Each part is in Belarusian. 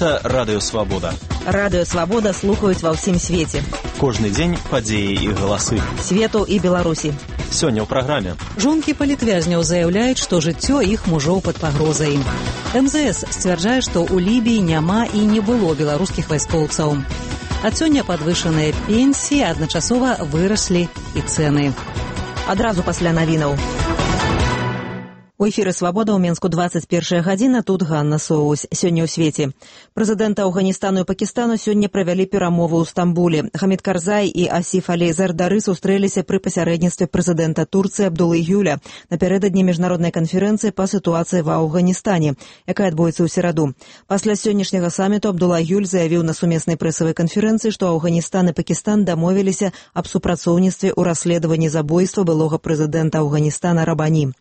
Гэта Радыё Свабода. Радыё Свабода слухаюць ва ўсім свеце. Кожны дзень падзеі і галасы. Свету і Беларусі. Сёння ў праграме. Жонкі палітвязняў заяўляюць, што жыццё іх мужоў пад пагрозай. МЗС сцвярджае, што ў Лібіі няма і не было беларускіх вайскоўцаў. Ад сёння падвышаныя пенсіі, адначасова выраслі і цэны. Адразу пасля навінаў. У эфіры «Свабода» ў Менску 21 гадзіна, тут Ганна Соус. Сёння ў свеце. Прэзідэнты Афганістану і Пакістану сёння правялі перамовы ў Стамбуле. Хамід Карзай і Асіф Алі Зардары сустрэліся пры пасярэдніцтве прэзідэнта Турцыі Абдулы Гюля напярэдадні міжнароднай канферэнцыі па сітуацыі ва Афганістане, якая адбудзецца ў сераду. Пасля сённяшняга саміту Абдула Гюль заявіў на сумеснай прэсавай канферэнцыі, што Афганістан і Пакістан дамовіліся аб супрацоўніцтве ў расследаванні забойства былога прэзідэнта Афганістана Рабані.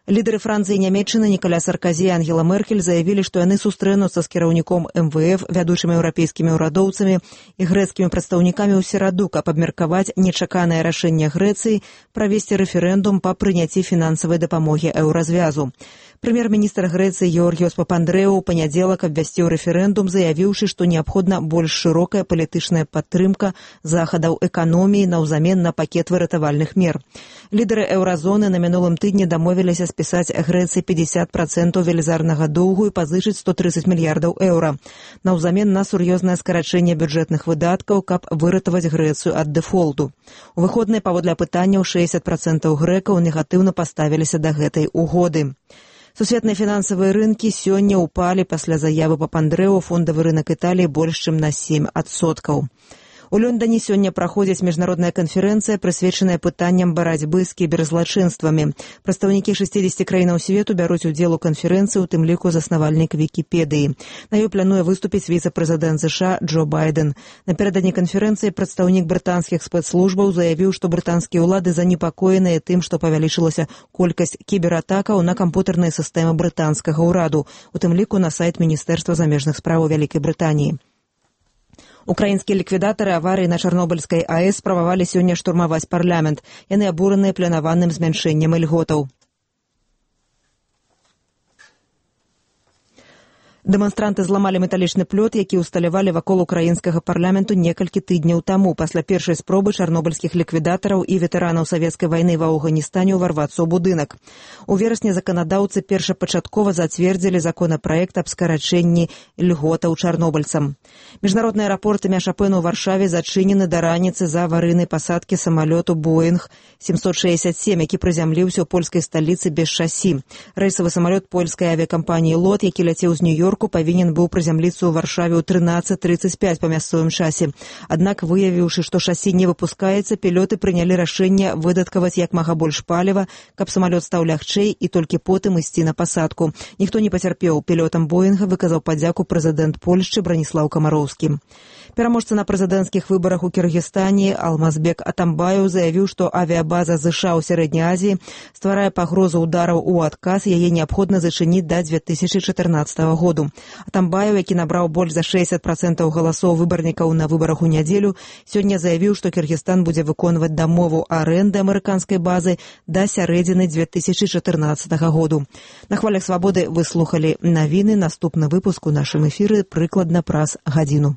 Лідары Францыі і Нямецчыны Ніколя Сарказі і Ангела Меркель заявілі, што яны сустрэнуцца з кіраўніком МВФ, вядучымі еўрапейскімі ўрадоўцамі і грэцкімі прадстаўнікамі ў сераду, каб абмеркаваць нечаканае рашэнне Грэцыі правесці рэферэндум па прыняцці фінансавай дапамогі еўразвязу. Прэм'ер-міністр Грэцыі Георгіос Папандрэу ў панядзелак абвясціў рэферэндум, заявіўшы, што неабходна больш шырокая палітычная падтрымка захадаў эканоміі наўзамен на пакет выратавальных мер. Лідары еўразоны на мінулым тыдні дамовіліся спісаць Грэцыі 50% велізарнага доўгу і пазычыць 130 мільярдаў еўра. Наўзамен на сур'ёзнае скарачэнне бюджэтных выдаткаў, каб выратаваць Грэцыю ад дэфолту. У выходныя паводле апытанняў 60% грэкаў негатыўна паставіліся да гэтай угоды. Сусветныя фінансавыя рынкі сёння ўпалі пасля заявы Папандрэу, фондавы рынак Італіі больш чым на 7%. У Лондоне сёння праходзіць міжнародная канферэнцыя, прысвечаная пытанням барацьбы з кіберзлачынствамі. Прадстаўнікі 60 краінаў свету бяруць удзел у канферэнцыі, у тым ліку заснавальнік Вікіпедыі. На ёй плануе выступіць віцэ-прэзідэнт США Джо Байден. Напярэдадні канферэнцыі прадстаўнік брытанскіх спецслужбаў заявіў, што брытанскія ўлады занепакоеныя тым, што павялічылася колькасць кібератакаў на кампутарныя сістэмы брытанскага ўраду, у тым ліку на сайт Міністэрства замежных спраў Вялікай Брытаніі. Украінскія ліквідатары аварыі на Чарнобыльскай АЭС спрабавалі сёння штурмаваць парламент. Яны абураныя планаваным змяншэннем ільготаў. Дэманстранты зламалі металічны плёт, які ўсталявалі вакол украінскага парламенту некалькі тыдняў таму, пасля першай спробы чарнобыльскіх ліквідатараў і ветэранаў савецкай вайны ва Афганістане ўварвацца ў будынак. У верасні заканадаўцы першапачаткова зацвердзілі законапраект аб скарачэнні льготаў чарнобыльцам. Міжнародны аэрапорт імя Шапена ў Варшаве зачынены да раніцы з-за аварыйнай пасадкі самалёту Боінг 767, які прызямліўся ў польскай сталіцы без шасі. Рэйсавы самалёт польскай авіякампаніі «Лот», які ляцеў з Нью-Йорку, павінен быў прызямліцца ў Варшаве ў 13:35 па мясцовым часе. Аднак, выявіўшы, што шасі не выпускаецца, пілоты прынялі рашэнне выдаткаваць як мага больш паліва, каб самалёт стаў лягчэй і толькі потым ісці на пасадку. Ніхто не пацярпеў. Пілотам Боінга выказаў падзяку прэзідэнт Польшчы Браніслаў Камароўскі. Пераможца на прэзідэнцкіх выбарах у Кіргізстане Алмазбек Атамбаеў заявіў, што авіябаза ЗША ў Сярэдняй Азіі стварае пагрозу ўдараў у адказ, яе неабходна зачыніць да 2014 году. Атамбаеў, які набраў больш за 60% галасоў выбарнікаў на выбарах у нядзелю, сёння заявіў, што Кіргізстан будзе выконваць дамову арэнды амерыканскай базы да сярэдзіны 2014 году. На хвалях свабоды вы слухалі навіны. Наступны выпуск у нашым эфіры прыкладна праз гадзіну.